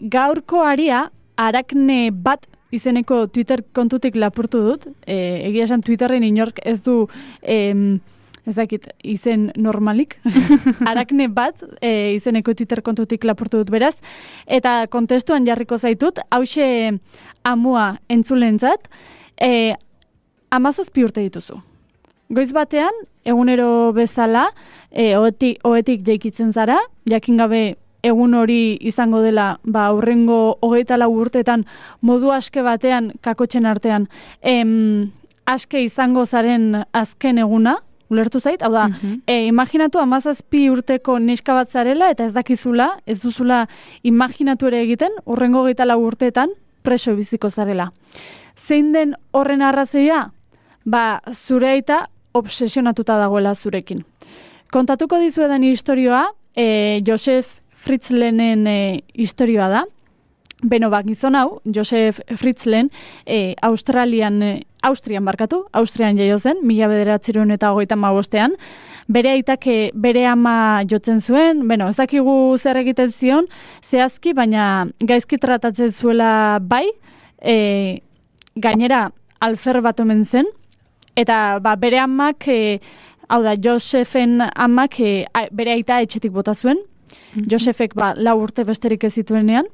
Gaurko aria, Arakne bat izeneko Twitter kontutik lapurtu dut. Egia esan Twitterren inork ez du... ez dakit, izen normalik. Arakne bat izeneko Twitter kontutik lapurtu dut beraz. Eta kontestuan jarriko zaitut, hauxe amua entzulentzat, 17 urte dituzu. Goiz batean, egunero bezala, ohetik jaikitzen zara, jakin gabe egun hori izango dela, hurrengo 24 urteetan modu aske batean, kakotxen artean, aske izango zaren azken eguna, ulertu zait? Hau da, imaginatu 17 urteko neska bat zarela eta ez dakizula, ez duzula imaginatu ere egiten, hurrengo 24 urteetan preso biziko zarela. Zein den horren arrazoia? Zure aita obsesionatuta dagoela zurekin. Kontatuko dizuedan historioa, Josef Fritzlenen historioa da. Gizon hau, Josef Fritzlen, Austrian jaio zen, 1935ean, bere aitak bere ama jotzen zuen, ez dakigu zer egiten zion, zehazki, baina gaizki tratatzen zuela bai, gainera alfer bat omen zen, eta bere amak, hau da, Josefen amak bere aita etxetik bota zuen, Josefek 4 urte besterik ez zituenean,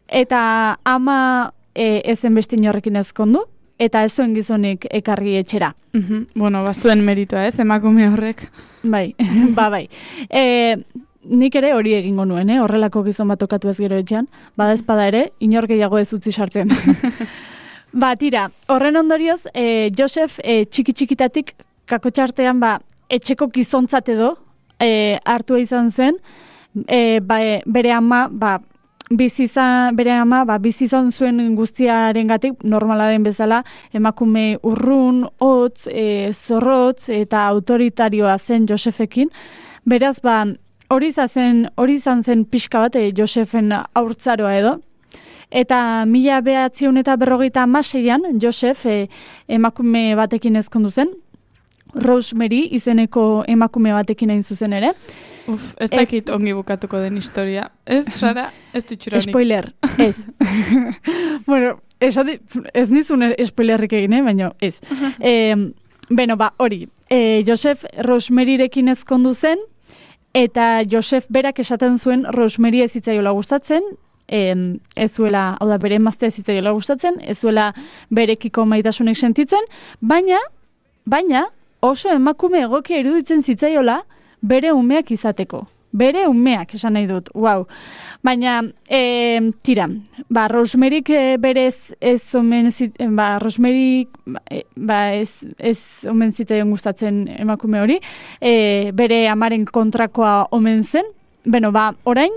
eta ama ezen beste inorrekin ezkondu, eta ez zuen gizonik ekarri etxera. Bazuen meritua ez, emakume horrek. Bai, bai. Nik ere hori egingo nuen, horrelako gizon bat tokatu ez gero etxean, badezpada ere, inor gehiago ez utzi sartzen. Tira, horren ondorioz, Josef txiki-txikitatik kakotxartean etxeko gizontzat edo hartua izan zen, bere ama bizi izan zuen guztiarengatik normala den bezala emakume urrun, hotz, zorrotz eta autoritarioa zen Josefekin. Beraz, hori izan zen pixka bat Josefen haurtzaroa edo. Eta 1956an Josef emakume batekin ezkondu zen, Rosemary izeneko emakume batekin hain zuzen ere. Ez dakit ongi bukatuko den historia. Ez, Sara? Ez dutxuranik. Spoiler, ez. Ez nizun spoilerrik egin, baina ez. Hori. Josef Rosemaryrekin ezkondu zen, eta Josef berak esaten zuen Rosemary ez zitzaiola gustatzen, ez zuela, hau da, bere emaztea ez zitzaiola gustatzen, ez zuela berekiko maitasunek sentitzen, baina oso emakume egokia iruditzen zitzaiola bere umeak izateko. Bere umeak, esan nahi dut, wow. Baina, tira, Rosemaryk berez ez omen zitzaion gustatzen emakume hori, bere amaren kontrakoa omen zen, orain,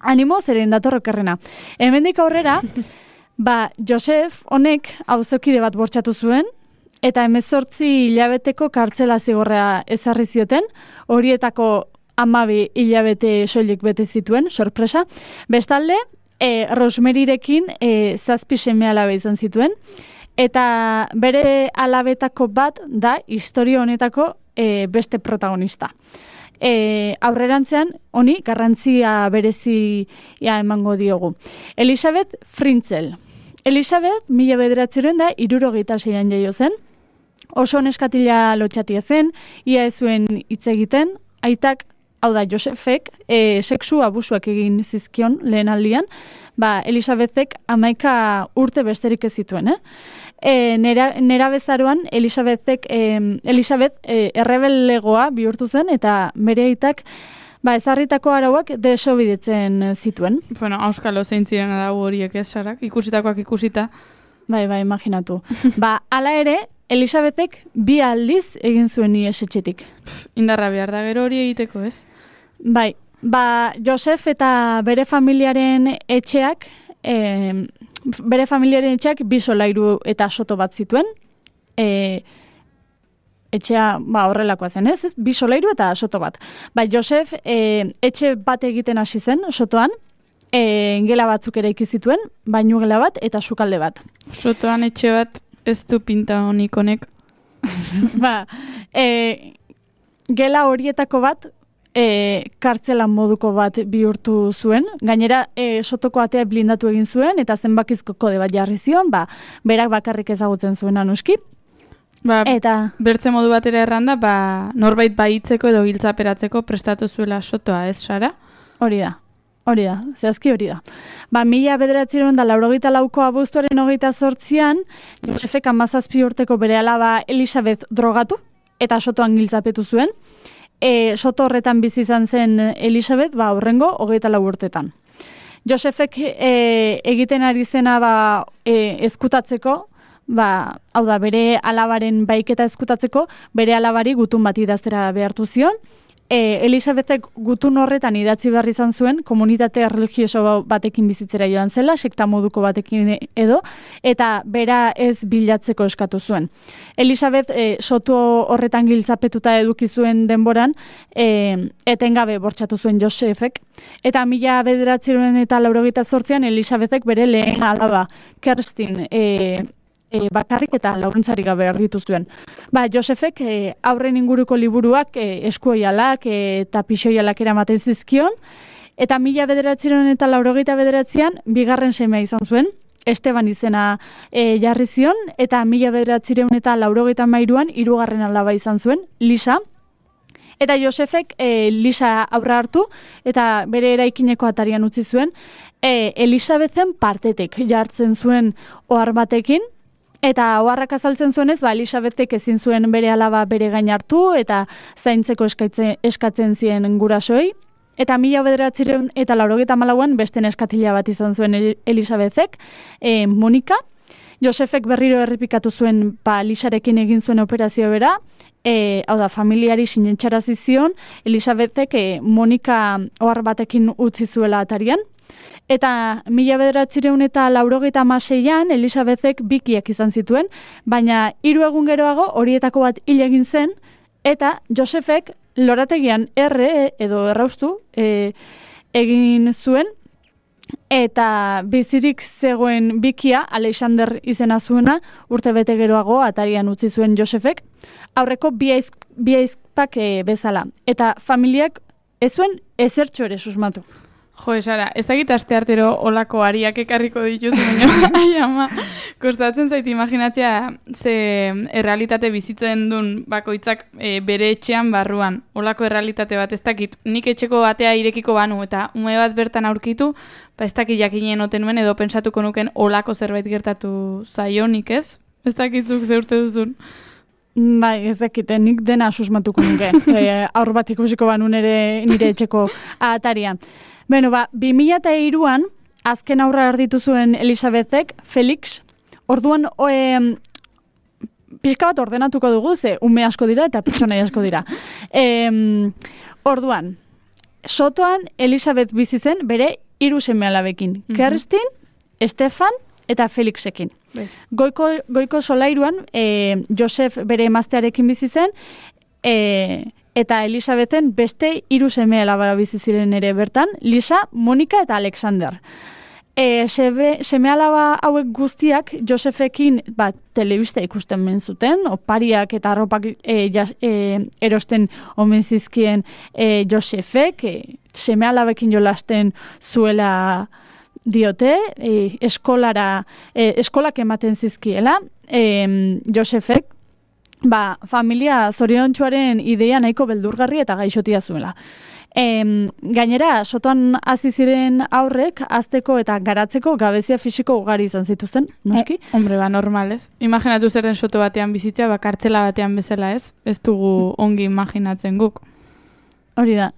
animo zeren datorrokerrena. Hemendik aurrera, Josef honek auzokide bat bortxatu zuen, eta 18 hilabeteko kartzela zigorra ezarri zioten, horietako 12 hilabete soilik bete zituen, sorpresa. Bestalde, Rosemaryrekin 7 seme-alabe izan zituen, eta bere alabetako bat da historia honetako beste protagonista. Aurrerantzean, honi garrantzia berezia emango diogu. Elisabeth Fritzel. Elisabeth, 1976an jaio zen, oso neskatila lotxatia zen, ia ez zuen hitz egiten, aitak, hau da, Josefek, sexu abusuak egin zizkion lehen aldian, Elisabethek 11 urte besterik ez zituen, Nera bezaroan, Elisabeth errebelegoa bihurtu zen, eta bere aitak ezarritako arauak desobeditzen zituen. Auskalo zein ziren arau horiek ez, Sarak? Ikusitakoak ikusita. Bai, imaginatu. Hala ere, Elisabethek 2 aldiz egin zuen ihes etxetik. Indarra behar da gero hori egiteko, ez? Bai, Josef eta bere familiaren etxeak, 2 solairu eta soto bat zituen, etxea horrelakoa zen, ez? 2 solairu eta soto bat. Josef etxe bat egiten hasi zen, sotoan, gela batzuk ere zituen, bainugela bat eta sukalde bat. Sotoan etxe bat ez du pinta honik. Gela horietako bat kartzelan moduko bat bihurtu zuen. Gainera, sotoko atea blindatu egin zuen, eta zenbakizko kode bat jarri zion, berak bakarrik ezagutzen zuen anuski. Eta bertze modu batera erranda, norbait baitzeko edo giltzaperatzeko prestatu zuela sotoa, ez, Sara? Hori da, zehazki hori da. 1984ko abuztuaren 28an, Josefek 17 urteko bere alaba Elisabeth drogatu, eta sotoan giltzapetu zuen. Soto horretan bizi izan zen Elisabeth, horrengo 24 urtetan. Josefek egiten ari zena ezkutatzeko, hau da, bere alabaren baiketa ezkutatzeko, bere alabari gutun bat idaztera behartu zion. Elisabethek gutun horretan idatzi behar izan zuen, komunitate religioso batekin bizitzera joan zela, sekta moduko batekin edo, eta bera ez bilatzeko eskatu zuen. Elisabeth sotu horretan giltzapetuta eduki zuen denboran, etengabe bortxatu zuen Josefek, eta 1988an Elisabethek bere lehen alaba, Kerstin, bakarrik eta laguntzarik gabe erditu zuen. Josefek aurren inguruko liburuak eskuoialak eta pixoialak eramaten zizkion, eta 1989an bigarren semea izan zuen, Esteban izena jarri zion, eta 1993an hirugarren alaba izan zuen, Lisa. Eta Josefek Lisa aurra hartu, eta bere eraikineko atarian utzi zuen, Elisabethen partetek jartzen zuen ohar batekin, eta oharrak azaltzen zuenez, Elisabethek ezin zuen bere alaba bere gain hartu eta zaintzeko eskatzen zien gurasoei. Eta 1994an beste neskatila bat izan zuen Elisabethek, Monika. Josefek berriro errepikatu zuen Lisarekin egin zuen operazio bera, hau da, familiari sinentxarazi zion, Elisabethek Monika ohar batekin utzi zuela atarian. Eta 1996an Elisabethek bikiak izan zituen, baina 3 egun geroago horietako bat hil egin zen, eta Josefek lorategian edo erraustu egin zuen, eta bizirik zegoen bikia, Alexander izena zuena, urtebete geroago atarian utzi zuen Josefek, aurreko bi aizpak bezala. Eta familiak ez zuen ezertxo ere susmatu. Jo, Sara, ez dakit asteartero olako ariak ekarriko dituzu, baina ai ama, kostatzen zait imaginatzea ze errealitate bizitzen duen bakoitzak bere etxean barruan. Olako errealitate bat ez dakit, nik etxeko batea irekiko banu eta ume bat bertan aurkitu, ez dakit jakinen oten nuen edo pentsatuko nuken olako zerbait gertatu zaionik, ez? Ez dakitzuk ze urte duzun. Ez dakite, nik dena susmatuko nuke, aur bat ikusiko banu nire etxeko ataria. 2003an, azken aurra erditu zuen Elisabethek, Felix, orduan pixka bat ordenatuko dugu, ze ume asko dira eta pertsonai asko dira. Orduan, sotoan Elisabeth bizi zen bere 3 seme-alabekin, Kerstin, Stefan eta Felixekin. Goiko solairuan, Josef bere emaztearekin bizi zen, eta Elisabethen beste 3 seme-alaba bizi ziren ere bertan, Lisa, Monika eta Alexander. Seme-alaba hauek guztiak Josefekin telebista ikusten men zuten, opariak eta arropak erosten omen zizkien Josefek, seme-alabekin jolasten zuela diote, eskolak ematen zizkiela, Josefek, familia zoriontsuaren ideia nahiko beldurgarri eta gaixotia zuela. Gainera, sotoan hasi ziren aurrek, azteko eta garatzeko gabezia fisiko ugari izan zituzten, noski? Hombre, normal, ez? Imaginatu zer den soto batean bizitzea, kartzela batean bezala, ez? Ez dugu ongi imaginatzen guk. Hori da.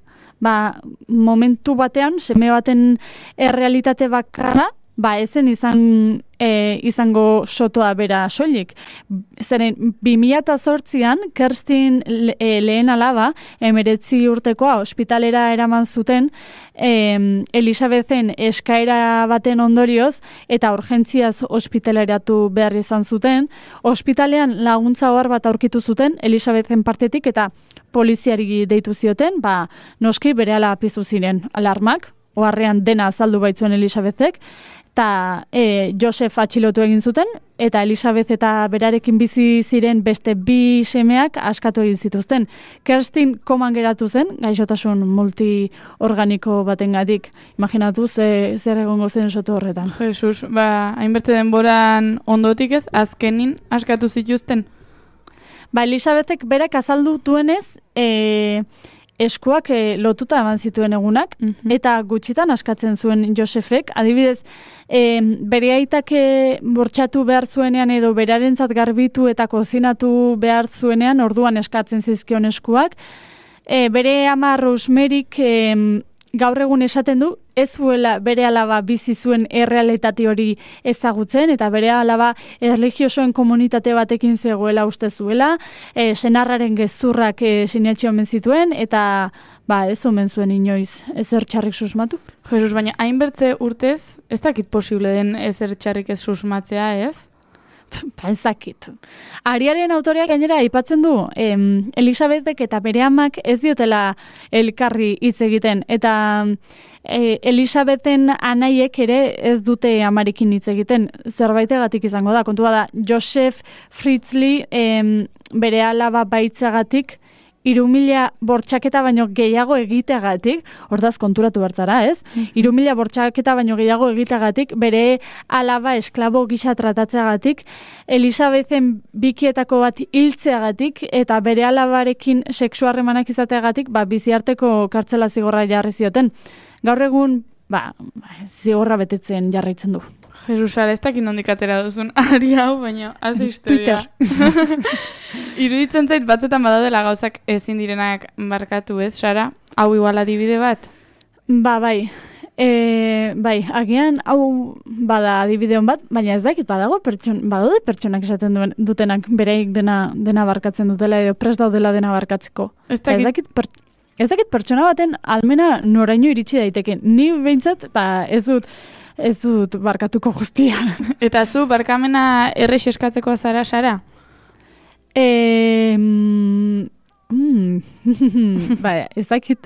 Momentu batean, seme baten errealitate bakarra, ezen izango sotoa bera soilik. Zeren, 2008an, Kerstin lehen alaba, 19 urtekoa, ospitalera eraman zuten, Elisabethen eskaera baten ondorioz, eta urgentziaz ospitaleratu behar izan zuten, ospitalean laguntza ohar bat aurkitu zuten, Elisabethen partetik, eta poliziari deitu zioten, noski berehala piztu ziren alarmak, oharrean dena azaldu baitzuen Elisabethek, eta Josef atxilotu egin zuten, eta Elisabeth eta berarekin bizi ziren beste 2 semeak askatu egin zituzten. Kerstin koman geratu zen, gaixotasun multiorganiko batengatik. Imaginatu zer egongo zen soto horretan. Jesus, hainbeste denboran ondotik ez, azkenin askatu zituzten? Elisabethek berak azaldu duenez, eskuak lotuta eman zituen egunak, eta gutxitan askatzen zuen Josefek. Adibidez, bere aitak bortxatu behar zuenean edo berarentzat garbitu eta kozinatu behar zuenean orduan eskatzen zizkion eskuak. Bere ama Rosemaryk gaur egun esaten du, ez zuela bere alaba bizi zuen errealitate hori ezagutzen, eta bere alaba erlijiosoen komunitate batekin zegoela uste zuela, senarraren gezurrak sinetxe omen zituen, eta ez omen zuen inoiz ezer txarrik susmatu. Jesus, baina hainbertze urtez, ez dakit posible den ezer txarrik ez susmatzea, ez? Ez dakit. Ariaren autoreak gainera aipatzen du, Elisabethek eta bere amak ez diotela elkarri hitz egiten, eta Elisabethen anaiek ere ez dute amarekin hitz egiten, zerbaitegatik izango da. Kontua da, Josef Fritzli bere alaba baitzagatik 3.000 bortxaketa baino gehiago egiteagatik, ordaz konturatu bertzara, ez? 3.000 bortxaketa baino gehiago egiteagatik, bere alaba esklabo gisa tratatzeagatik, Elisabethen bikietako bat hiltzeagatik, eta bere alabarekin sexuarremanak izateagatik, biziarteko kartzela zigorra jarri zioten. Gaur egun, zigorra betetzen jarraitzen du. Jesus, ez dakit nondik atera duzun ari hau, baina haze historia. Twitter. Iruditzen zait batzuetan badaudela gauzak ezin direnak barkatu, ez, Sara? Hau igual adibide bat? Bai. Agian hau bada adibide hon bat, baina ez dakit badaude pertsonak esaten dutenak bereik dena barkatzen dutela edo prest daudela dena barkatzeko. Ez dakit pertsona baten almena noraino iritsi daiteke. Ni behintzat, ez dut barkatuko guztia. Eta zu, barkamena errex eskatzeko zara, Sara? Ez dakit.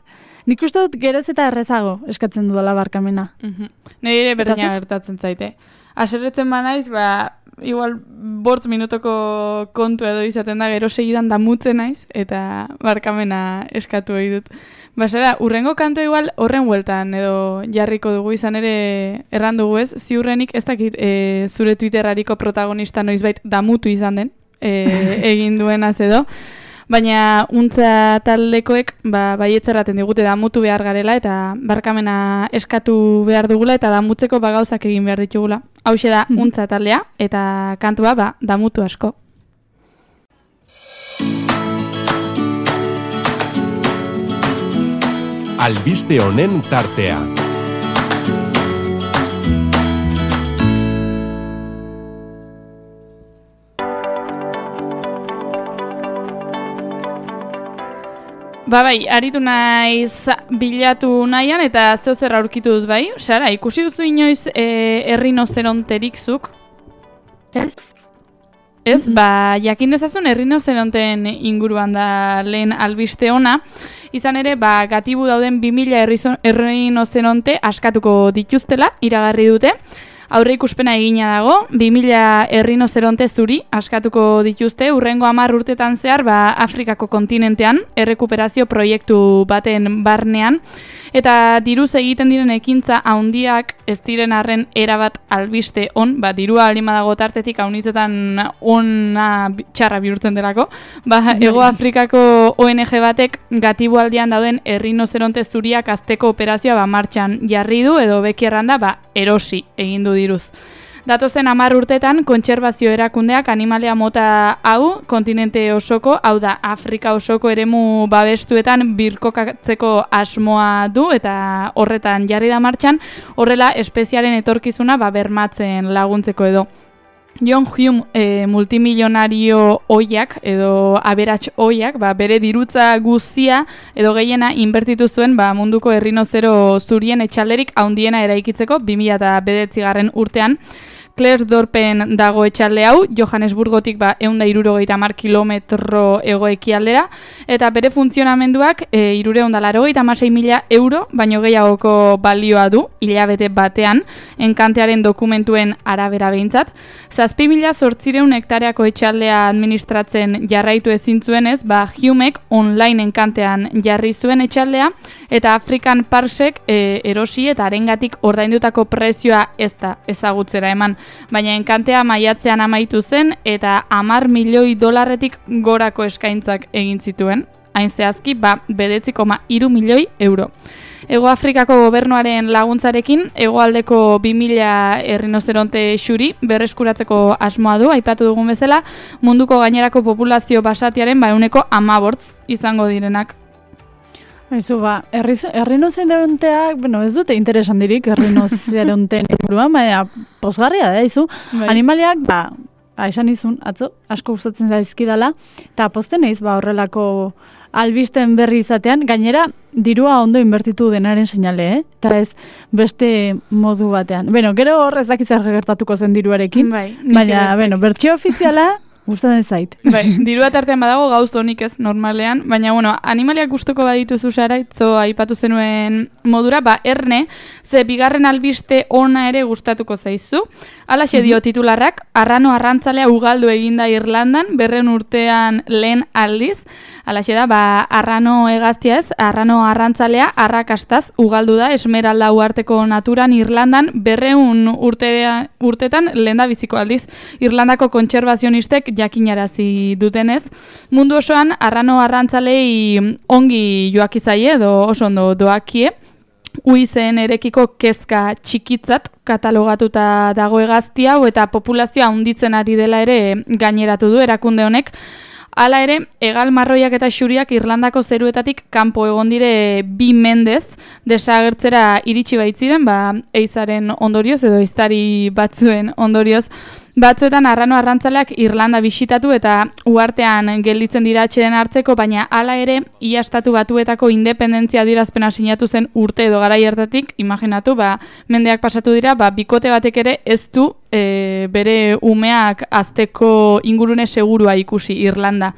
Nik uste dut geroz eta errezago eskatzen dudala barkamena. Nire ere berdina gertatzen zaite. Aserretzen banaiz, igual 5 minutoko kontu edo izaten da, gero segidan damutzen naiz, eta barkamena eskatu egin dut. Sara, urrengo kantua igual horren hueltan edo jarriko dugu, izan ere erran dugu ez, ziurrenik ez dakit zure Twitterariko protagonista noizbait damutu izan den, egin duenaz edo, baina untza taldekoek baietzerraten digute damutu behar garela eta barkamena eskatu behar dugula eta damutzeko gauzak egin behar ditugula. Hauxe da untza taldea eta kantua damutu asko. Albiste honen tartea. Aritu naiz bilatu nahian eta zeo zer aurkitu dut bai. Sara, ikusi duzu inoiz errinozeronterik zuk? Ez. Ez, jakin dezazun errinozeronten inguruan da lehen albiste ona. Izan ere, gatibu dauden 2000 errinozeronte askatuko dituztela, iragarri dute. Aurre ikuspena egina dago, 2000 errinozeronte zuri askatuko dituzte, urrengo 10 urtetan zehar, Afrikako kontinentean, errekuperazio proiektu baten barnean, eta diruz egiten diren ekintza handiak ez diren arren erabat albiste on, dirua alima dago tartetik haunitzetan ona txarra bihurtzen delako, Ego Afrikako ONG batek gatibu aldian dauden errinozeronte zuriak azteko operazioa martxan jarri du, edo bekierran da, erosi egin du diruz. Datozen 10 urtetan, kontserbazio erakundeak animalia mota hau, kontinente osoko, hau da, Afrika osoko eremu babestuetan birkokatzeko asmoa du, eta horretan jarri da martxan, horrela espeziaren etorkizuna bermatzen laguntzeko edo. John Hume multimilionario oiak edo aberats oiak, bere dirutza guztia edo gehiena inbertitu zuen munduko errinozero zurien etxalderik handiena eraikitzeko 2009 urtean. Klersdorpen dago etxalde hau, Johannesburgotik 170 kilometro hego-ekialdera, eta bere funtzionamenduak 386.000 euro, baino gehiagoko balioa du, hilabete batean, enkantearen dokumentuen arabera behintzat. 7.800 hektareako etxaldea administratzen jarraitu ezin zuenez, Humek online enkantean jarri zuen etxaldea, eta African Parsek erosi eta arengatik ordaindutako prezioa ez da ezagutzera eman. Baina enkantea maiatzean amaitu zen eta $10 milioi gorako eskaintzak egin zituen. Hain zehazki, 9,3 milioi euro. Ego Afrikako gobernuaren laguntzarekin, hegoaldeko 2000 errinozeronte xuri berreskuratzeko asmoa du, aipatu dugun bezala, munduko gainerako populazio basatiaren 15% izango direnak. Aizu, errinozeronteak, ez dute interesan dirik errinozeronteen inguruan, baina pozgarria da, aizu. Animaliak, esan izun, atzo, asko gustatzen zaizkidala, eta pozten naiz, horrelako albisten berri izatean, gainera, dirua ondo inbertitu denaren seinale, eta ez beste modu batean. Gero horrez dakizar gertatuko zen diruarekin, baina, bertsio ofiziala, gustatzen zait. Dirua tartean badago gauz honik ez normalean, baina animaliak gustuko badituzu Sara, itzo aipatu zenuen modura, erne, ze bigarren albiste ona ere gustatuko zaizu. Halaxe dio titularrak, arrano arrantzalea ugaldu eginda Irlandan, 200 urtean lehen aldiz. Halaxe da, arrano hegaztia ez, arrano arrantzalea arrakastaz ugaldu da Esmeralda uharteko naturan Irlandan 200 urtetan lehen da biziko aldiz. Irlandako kontserbazionistek jakinarazi dutenez. Mundu osoan arrano arrantzalei ongi joakizaie edo oso ondo doakie. Uizen erekiko kezka txikitzat katalogatuta dago hegazti hau eta populazioa handitzen ari dela ere gaineratu du erakunde honek. Hala ere, hegal marroiak eta xuriak Irlandako zeruetatik kanpo egon dire 2 mendez desagertzera iritsi baitziren, eizaren ondorioz edo eiztari batzuen ondorioz. Batzuetan arrano arrantzaleak Irlanda bisitatu eta uhartean gelditzen dira atxeden hartzeko, baina hala ere, ia estatu batuetako independentzia adierazpena sinatu zen urte edo garai hartatik, imaginatu, mendeak pasatu dira, bikote batek ere ez du bere umeak azteko ingurune segurua ikusi Irlanda.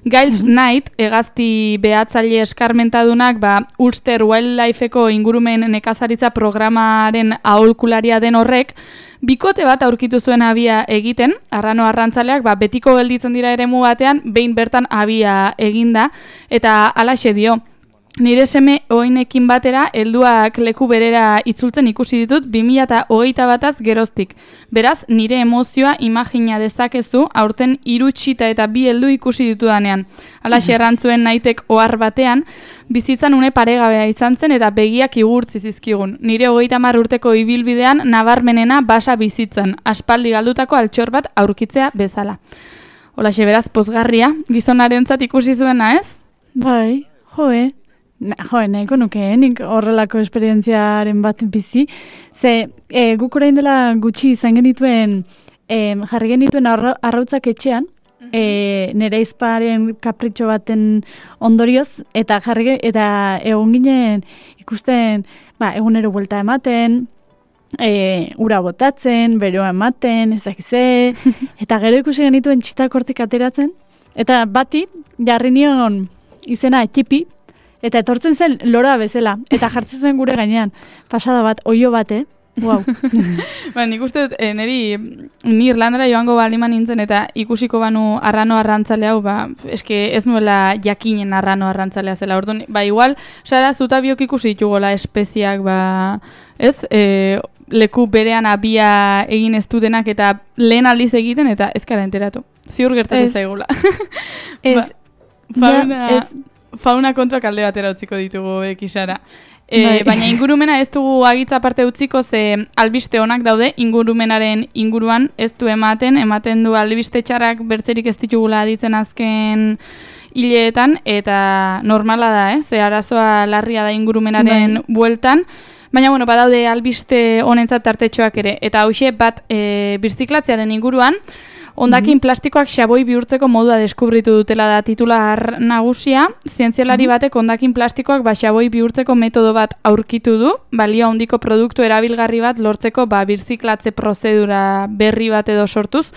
Giles Knight, hegazti behatzaile eskarmentadunak, Ulster Wildlifeko ingurumen nekazaritza programaren aholkularia den horrek, bikote bat aurkitu zuen abia egiten, arrano arrantzaleak betiko gelditzen dira eremu batean, behin bertan abia eginda, eta halaxe dio. Nire seme oinekin batera, helduak leku berera itzultzen ikusi ditut 2021az geroztik. Beraz, nire emozioa imagina dezakezu, aurten 3 txita eta 2 heldu ikusi ditudanean. Halaxe errantzuen Knightek ohar batean, bizitzan une paregabea izan zen eta begiak igurtzi zizkigun. Nire 30 urteko ibilbidean nabarmenena basa bizitzan, aspaldi galdutako altxor bat aurkitzea bezala. Holaxe beraz pozgarria, gizonarentzat ikusi zuena, ez? Bai, nahiko nuke, nik horrelako esperientziaren bat bizi. Ze, guk orain dela gutxi izan genituen, jarri genituen arrautzak etxean, nire izparen kapritxo baten ondorioz, eta egon ginen ikusten, egunero buelta ematen, ura botatzen, beroa ematen, ez dakize, eta gero ikusi genituen txitak hortik ateratzen, eta bati jarri nion izena txipi, eta etortzen zen lora bezala, eta jartzen zen gure gainean. Pasada bat, oio bat, Wow. Nik uste dut, ni Irlandara joango baliman nintzen, eta ikusiko banu arrano arrantzale hau, eske ez nuela jakinen arrano arrantzalea zela. Orduan, igual, Sara, zuta biok ikusi ditugola espeziak, ez? Leku berean abia egin ez dutenak eta lehen aldiz egiten, eta ez kara enteratu. Ziur gertatu zaigula. Fauna kontuak alde batera utziko ditugu ekisara. Baina ingurumena ez dugu agitza parte utziko, ze albiste onak daude ingurumenaren inguruan ez du ematen du albiste txarrak bertzerik ez ditugula aditzen azken hileetan, eta normala da, ze arazoa larria da ingurumenaren bueltan. Baina, badaude albiste honentzat tartetxoak ere, eta hauxe bat birziklatzearen inguruan, Hondakin plastikoak xaboi bihurtzeko modua deskubritu dutela da titular nagusia. Zientzialari batek hondakin plastikoak xaboi bihurtzeko metodo bat aurkitu du, balio handiko produktu erabilgarri bat lortzeko birziklatze prozedura berri bat edo sortuz.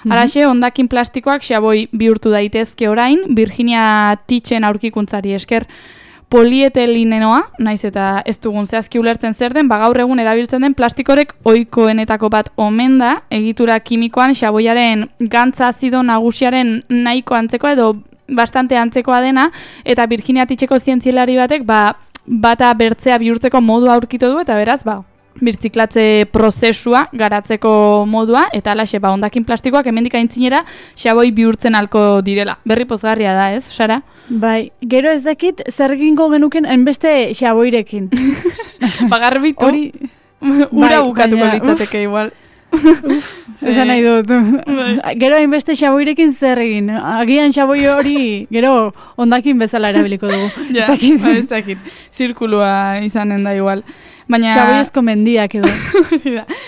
Halaxe, hondakin plastikoak xaboi bihurtu daitezke orain, Virginia Titchen aurkikuntzari esker. Polietelinenoa, naiz eta ez dugun zehazki ulertzen zer den, gaur egun erabiltzen den plastikorek ohikoenetako bat omen da, egitura kimikoan xaboiaren gantza azido nagusiaren nahiko antzekoa edo bastante antzekoa dena, eta Virginia Titcheko zientzialari batek bata bertzea bihurtzeko modua aurkitu du, eta beraz, birziklatze prozesua garatzeko modua, eta alaxe, hondakin plastikoak hemendik aintzinera xaboi bihurtzen halko direla. Berri pozgarria da, ez, Sara? Bai, gero ez dakit zer egingo genuken hainbeste xaboirekin. Garbitu, ura bukatuko litzateke igual. Esan nahi dut. Gero hainbeste xaboirekin zer egin. Agian xaboi hori gero hondakin bezala erabiliko dugu. Ja, ez dakit. Zirkulua izanen da igual. Baina xaboiezko mendiak edo.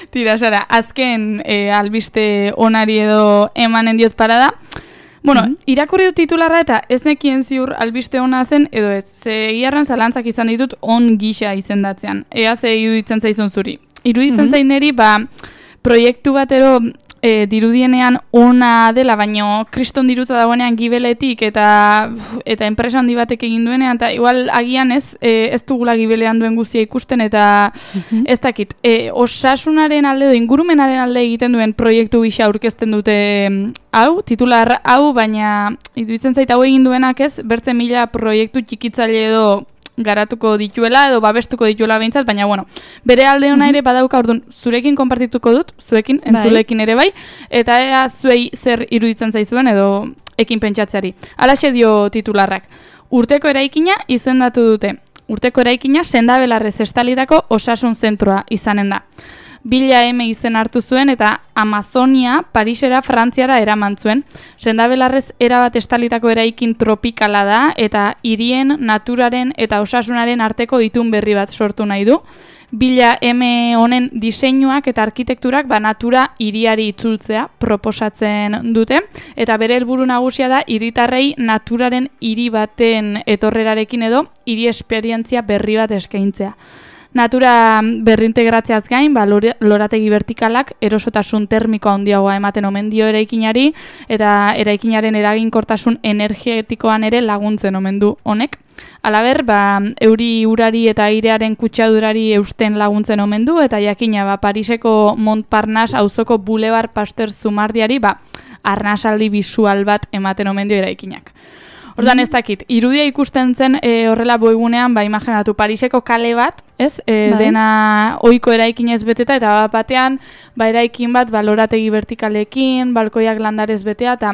Tira, Sara, azken albiste onari edo emanen diot parada. Bueno, irakurri dut titularra eta ez nekien ziur albiste ona zen edo ez. Ze egiarran zalantzak izan ditut on gisa izendatzean. Ea ze iruditzen zaizun zuri. Iruditzen zain neri, proiektu batero dirudienean ona dela, baino kriston dirutza dagoenean gibeletik eta enpresa handi batek egin duenean, eta igual agian ez dugula gibelean duen guztia ikusten, eta ez dakit, osasunaren alde edo ingurumenaren alde egiten duen proiektu gisa aurkezten dute hau, titular hau, baina iruditzen zait hau egin duenak ez, bertze mila proiektu txikitzaile edo garatuko dituela edo babestuko dituela behintzat, baina bueno, bere alde ona ere badauka, orduan zurekin konpartituko dut, zuekin, entzulekin ere bai, eta ea zuei zer iruditzen zaizuen edo ekin pentsatzeari. Halaxe dio titularrak. Urteko eraikina izendatu dute. Urteko eraikina Sendabelarrez estalitako osasun zentroa izanen da. 1000 M izen hartu zuen eta Amazonia Parisera Frantziara eraman zuen. Sendabelarrez erabat estalitako eraikin tropikala da eta hirien, naturaren eta osasunaren arteko itun berri bat sortu nahi du. 1000 M honen diseinuak eta arkitekturak natura hiriari itzultzea proposatzen dute eta bere helburu nagusia da hiritarrei naturaren hiri baten etorrerarekin edo hiri esperientzia berri bat eskaintzea. Natura berrintegratzeaz gain, lorategi vertikalak erosotasun termikoa handiagoa ematen omen dio eraikinari eta eraikinaren eraginkortasun energetikoan ere laguntzen omen du honek. Halaber, euri urari eta airearen kutsadurari eusten laguntzen omen du eta jakina Pariseko Montparnasse auzoko Boulevard Pasteur Zumardiari arnasaldi bisual bat ematen omen dio eraikinak. Ordan ez dakit, irudia ikusten zen horrela boigunean, imaginatu Pariseko kale bat, ez? Dena ohiko eraikinez beteta eta batean eraikin bat lorategi vertikalekin, balkoiak landarez betea eta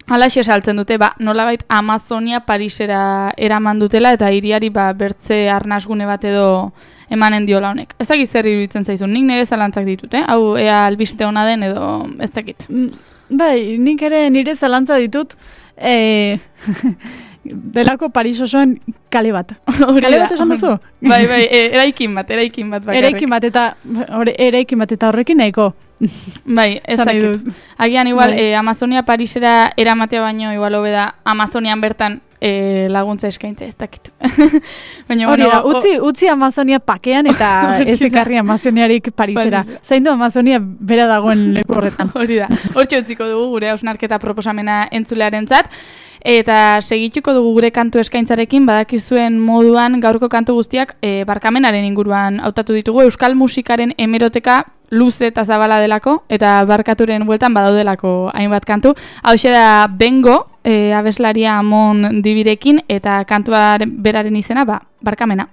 halaxe saltzen dute, nolabait Amazonia Parisera eraman dutela eta hiriari bertze arnasgune bat edo emanen diola honek. Ez dakit zer iruditzen zaizun, nik nire zalantzak ditut, hau ea albiste ona den edo ez dakit. Bai, nik ere nire zalantza ditut, delako Paris osoan kale bat. Kale bat esan duzu? Bai, eraikin bat bakarrik. Eraikin bat eta horrekin nahiko. Bai, ez dakit. Agian igual Amazonia Parisera eramatea baino igual hobe da Amazonian bertan laguntza eskaintza, ez dakit. Hori da, utzi Amazonia pakean eta ez ekarri Amazoniarik Parisera. Zain du Amazonia bera dagoen leku horretan. Hori da, hortxe utziko dugu gure hausnarketa proposamena entzulearentzat. Eta segituko dugu gure kantu eskaintzarekin, badakizuen moduan gaurko kantu guztiak barkamenaren inguruan hautatu ditugu. Euskal musikaren hemeroteka luze eta zabala delako, eta barkaturen bueltan badaudelako hainbat kantu. Hauxe da Bengo, abeslaria Amon Dibirekin, eta kantua beraren izena, barkamena.